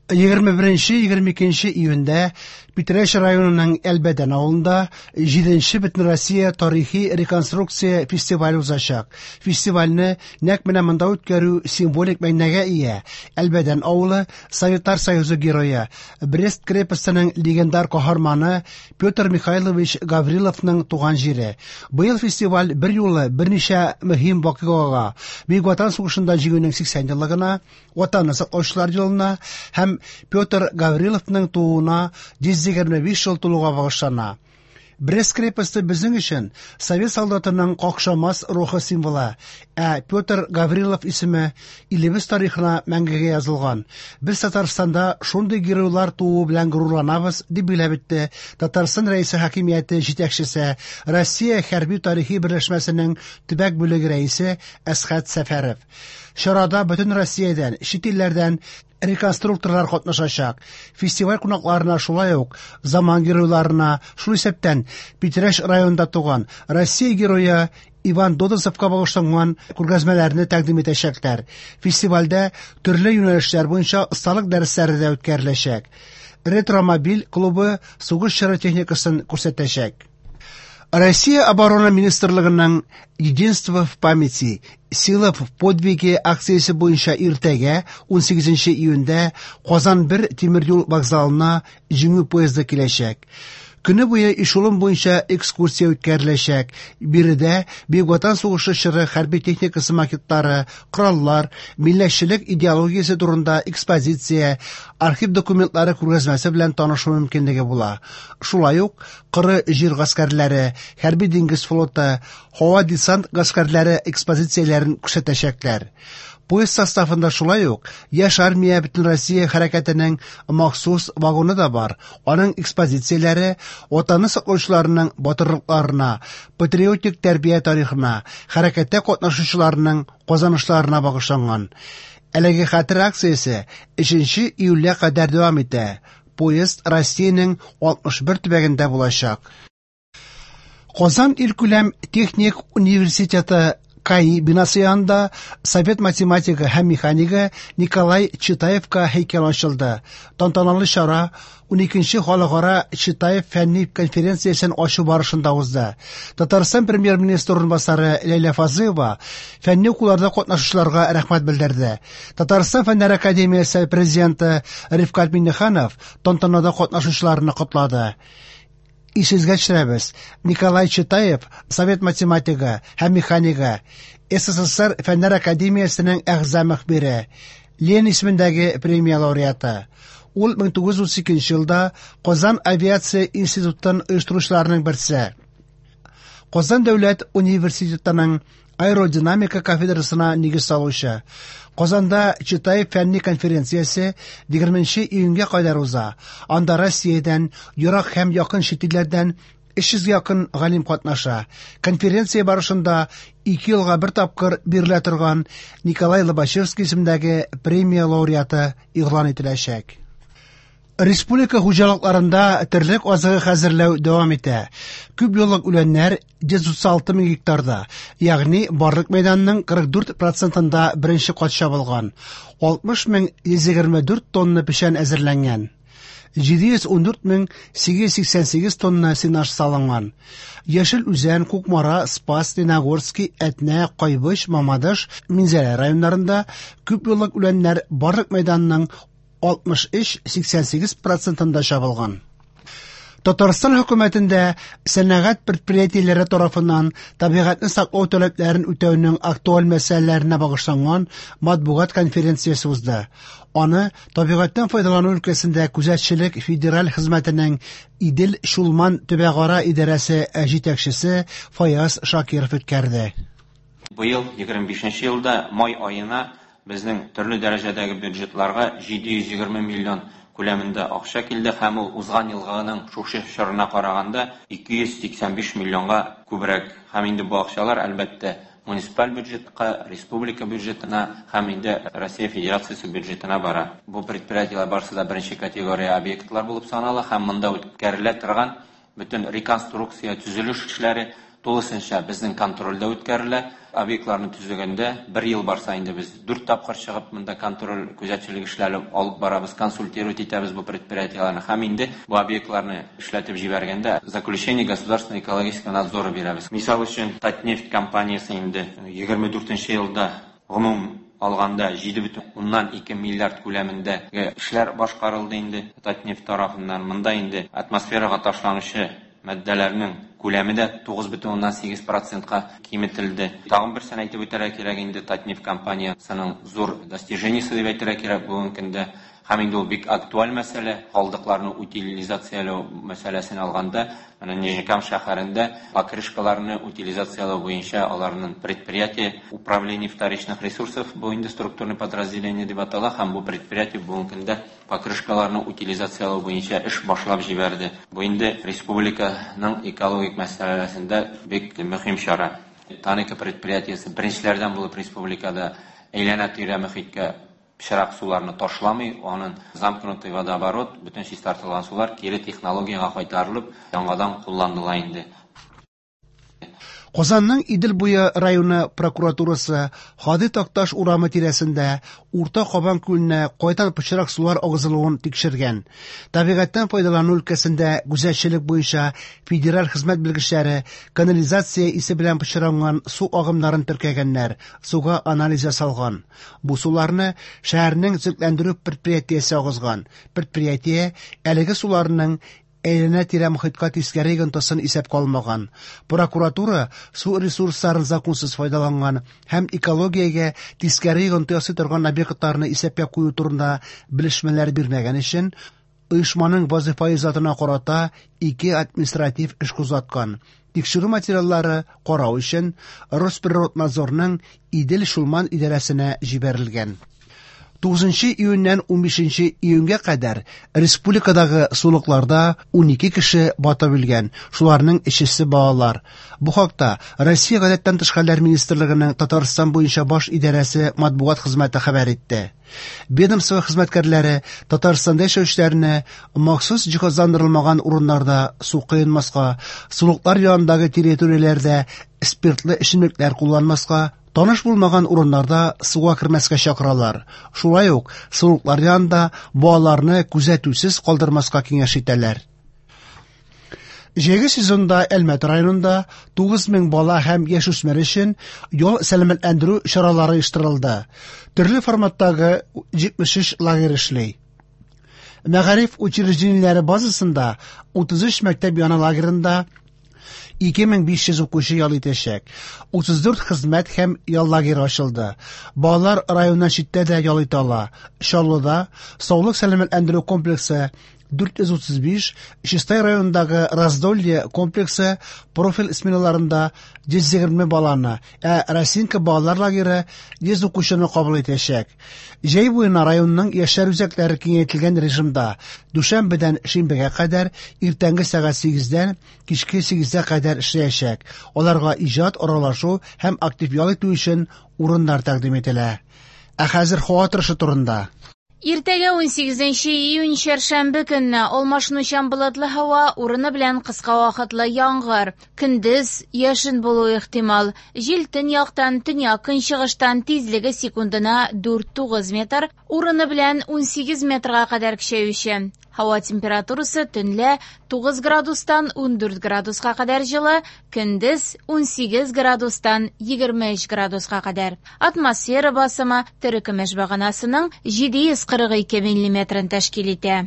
21-22 июньдә Питрәч районының Әлбәдән авылында 7нче Бөтенроссия тарихи реконструкция фестивале узачак. Фестивальне нәкъ менә монда үткәрү символик мәгънәгә ия. Әлбәдән авылы Советлар Союзы герое, Брест крепостеның легендар каһарманы Петр Михайлович Гавриловның туган җире. Быел фестиваль берьюлы берничә мөһим вакыйгага, Бөек Ватан сугышында Җиңүнең 80 еллыгына, Ватанны саклаучылар елына һәм Петр Гавриловның тууына 125 ел тулуга багышлана. Брест крепосте безнең өчен совет солдатының какшамас рухы символы, ә Петр Гаврилов исеме илебез тарихына мәңгегә язылган. Без Татарстанда шундый геройлар тууы белән горурланабыз, дип билгеләп үтте Татарстан Рәисе хакимияте җитәкчесе, Россия хәрби-тарихи берләшмәсенең төбәк бүлеге рәисе Әсхәт Сәфәров. Чарада бөтен Россиядән, чит илләрдән реконструкторлар катнашачак. Фестиваль кунакларына шулай ук заман геройларына, шул исәптән Питрәч районында туган Россия герое Иван Додосовка багышланган күргәзмәләрне тәкъдим итәчәкләр. Фестивальдә төрле юнәлешләр буенча осталык дәресләре дә үткәреләчәк. Ретромобиль клубы сугыш чоры техникасын күрсәтәчәк. Россия Оборона министрлыгының «Единство в памяти. Сила в подвиге» акциясе буенча иртәгә, 18 июньдә, Казан 1 тимер юл вокзалына Җиңү поезды киләчәк. Көне буе эшелон буенча экскурсия үткәреләчәк. Биредә Бөек Ватан сугышы чоры хәрби техникасы макетлары, кораллар, милләтчелек идеологиясе турында экспозиция, архив документлары күргәзмәсе белән танышу мөмкинлеге була. Шулай ук коры җир гаскәрләре, хәрби диңгез флоты, һава десант гаскәрләре экспозицияләрен күрсәтәчәкләр. Поезд составында шулай ук Яшь армия Бөтенроссия хәрәкәтенең махсус вагоны да бар. Аның экспозицияләре Ватанны саклаучыларның батырлыкларына, патриотик тәрбия тарихына, хәрәкәттә катнашучыларның казанышларына багышланган. Әлеге хәтер акциясе 3 июльгә кадәр дәвам итә. Поезд Россиянең 61 төбәгендә булачак. Казан илкүләм техник университеты КАИ бинасы янында совет математигы һәм механигы Николай Читаевка һәйкәл ачылды. Тантаналы чара 12нче халыкара Читаев фәнни конференциясен ачу барышында узды. Татарстан премьер-министры урынбасары Ләйлә Фазлыева фәнни укуларда катнашучыларга рәхмәт белдерде. Татарстан Фәннәр академиясе президенты Рифкать Миңнеханов тантанада катнашучыларны котлады. Исегезгә төшерәбез, Николай Читаев совет математигы һәм механигы, СССР Фәннәр академиясенең әгъза мөхбире, Ленин исемендәге премия лауреаты. Ул 1932 елда Казан авиация институтын оештыручыларның берсе. Казан дәүләт университетының аэродинамика кафедрасына нигез салучы. Казанда Читаев фәнни конференциясе 20 июньгә кадәр уза. Анда Россиядән, ерак һәм якын чит илләрдән 300 якын галим катнаша. Конференция барышында 2 елга бер тапкыр бирелә торган Николай Лобачевский исемендәге премия лауреаты игълан ителәчәк. Республика хуҗалыкларында терлек азыгы хәзерләү дәвам итә. Күп еллык үләннәр 136 мең гектарда, ягъни барлык мәйданның 44 процентында беренче кат чабылган. 60 мең 124 тонна печән әзерләнгән. 714 мең 888 тонна сенаж салынган. Яшел Үзән, Кукмара, Спас, Леногорский, Әтнә, Кайбыч, Мамадыш, Минзәлә районнарында күп еллык үләннәр барлык мәйданның 63,88 процентында чабылган. Татарстан хөкүмәтендә сәнәгать предприятиеләре тарафыннан табигатьне саклау таләпләрен үтәүнең актуаль мәсьәләләренә багышланган матбугат конференциясе узды. Аны табигатьтән файдалану өлкәсендә күзәтчелек федераль хезмәтенең Идел-Чулман төбәкара идарәсе җитәкчесе Фаяз Шакиров үткәрде. Быел 25 елда май аена безнең төрле дәрәҗәдәге бюджетларга 720 миллион күләмендә акча килде һәм ул узган елгының шушы чорына караганда 285 миллионга күбрәк. Һәм инде бу акчалар, әлбәттә, муниципаль бюджетка, республика бюджетына һәм инде Россия Федерациясе бюджетына бара. Бу предприятиеләр барысы да беренче категория объектлар булып санала һәм монда үткәрелә торган бөтен реконструкция, төзелеш эшләре Тулысынча безнең контрольдә үткәрелә. Объектларны төзегәндә бер ел барса инде без 4 тапкыр чыгып монда контроль күзәтчелек эшләре алып барабыз, консультировать итәбез бу предприятиеләрне һәм инде бу объектларны эшләтеп җибәргәндә заключение государственного экологического надзора бирәбез. Мисал өчен, Татнефть компаниясе инде 24 елда гомум алганда 7,2 миллиард күләмендә эшләр башкарылды инде Татнефть тарафыннан. Монда инде атмосферага ташланучы матдәләрнең күләме дә 9,8%-ка киметелде. Тагын берсен әйтеп үтәргә кирәк инде, Татнефть компаниясының зур достижениесе дип әйтергә кирәк бүгенге көндә. Һәм инде ул бик актуаль мәсьәлә, калдыкларны утилизацияләү мәсьәләсен алганда, менә Нижнекам шәһәрендә покрышкаларны утилизацияләү буенча аларның предприятие управление вторичных ресурсов бу инде структурный подразделение дип атала, һәм бу предприятие бүгенге көндә покрышкаларны утилизацияләү буенча эш башлап җибәрде. Бу инде республиканың экологик мәсьәләсендә бик мөһим чара. Танека предприятиесе беренчеләрдән булып республикада әйләнә-тирә мөхиткә пычрак суларны ташламый, аның замкнутый водоворот, бөтен чистартылган сулар кире технологиягә кайтарылып, яңадан кулланыла инде. Казанның Идел буе районы прокуратурасы Һади Такташ урамы тирәсендә Урта Кабан күленә кайдан пычрак сулар агызылуын тикшергән. Табигатьтән файдалану өлкәсендә күзәтчелек буенча федераль хезмәт белгечләре канализация исе белән пычранган су агымнарын теркәгәннәр, суга анализ ясалган. Бу суларны шәһәрнең төзекләндерү предприятиесе агызган. Предприятие әлеге суларның әйләнә-тирә мохиткә тискәре йогынтысын исәпкә алмаган. Прокуратура су ресурсларын законсыз файдаланган һәм экологиягә тискәре йогынты ясый торган объектларны исәпкә кую турында белешмәләр бирмәгән өчен оешманың вазифаи затына карата 2 административ эш кузгаткан. Тикшерү материаллары карау өчен Росприроднадзорның Идел-Чулман идарәсенә җибәрелгән. 9 июньнән 15 июньгә кадәр республикадагы сулыкларда 12 кеше батып үлгән, шуларның өчесе балалар. Бу хакта Россия Гадәттән тыш хәлләр министрлыгының Татарстан буенча баш идарәсе матбугат хезмәте хәбәр итте. Ведомство хезмәткәрләре Татарстанда яшәүчеләрне махсус җиһазландырылмаган урыннарда су коенмаска, сулыклар янындагы территорияләрдә спиртлы эчемлекләр кулланмаска, таныш булмаган урыннарда суга кермәскә чакыралар. Шулай ук сулыклар янында балаларны күзәтүсез калдырмаска киңәш итәләр. Җәйге сезонда Әлмәт районында 9000 бала һәм яшүсмер өчен ял сәламәтләндерү чаралары оештырылды. Төрле форматтагы 73 лагерь эшли. Мәгариф учреждениеләре базасында 33 мәктәп яны лагерында 2500 укучы ял итәчәк. 34 хезмәт һәм ял лагеры ачылды. Балалар районнан читтә дә ял итә ала. Чаллыда саулык сәламәтләндерү комплексы 435, Чистай районындагы Раздолье комплексы профиль сменаларында 120 баланы, ә Росинка балалар лагеры 100 укучыны кабул итәчәк. Җәй буена районның яшьләр үзәкләре киңәйтелгән режимда дүшәмбедән шимбәгә кадәр иртәнге сәгать 8-дән кичке 8-гә кадәр эшләячәк. Аларга иҗат, аралашу һәм актив ял итү өчен урыннар тәкъдим ителә. Ә хәзер һава торышы турында. Иртәгә 18 июнь чәршәмбе көнне алмашынучан болытлы һава, урыны белән кыска вакытлы яңгыр. Көндез яшен булу ихтимал. Җил төньяктан, төньяк-көнчыгыштан тизлеге секундына 4-9 метр, урыны белән 18 метрга кадәр көчәюче. Һава температурасы төнлә 9 градустан 14 градуска кадәр җылы, көндез 18 градустан 23 градуска кадәр. Атмосфера басымы терекөмеш баганасының 742 миллиметрын тәшкил итә.